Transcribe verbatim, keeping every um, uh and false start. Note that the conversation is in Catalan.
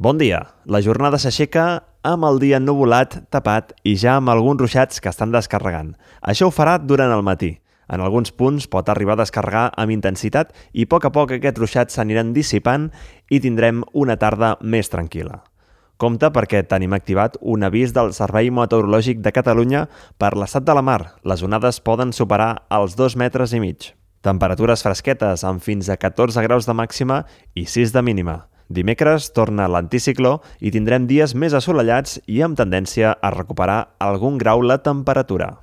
Bon dia. La jornada s'aixeca amb el dia ennuvolat, tapat i ja amb alguns ruixats que estan descarregant. Això ho farà durant el matí. En alguns punts pot arribar a descarregar amb intensitat i a poc a poc aquests ruixats s'aniran dissipant i tindrem una tarda més tranquil·la. Compte perquè tenim activat un avís del Servei Meteorològic de Catalunya per l'estat de la mar. Les onades poden superar els dos metres i mig. Temperatures fresquetes amb fins a catorze graus de màxima i sis de mínima. Dimecres torna l'anticicló i tindrem dies més assolellats i amb tendència a recuperar algun grau la temperatura.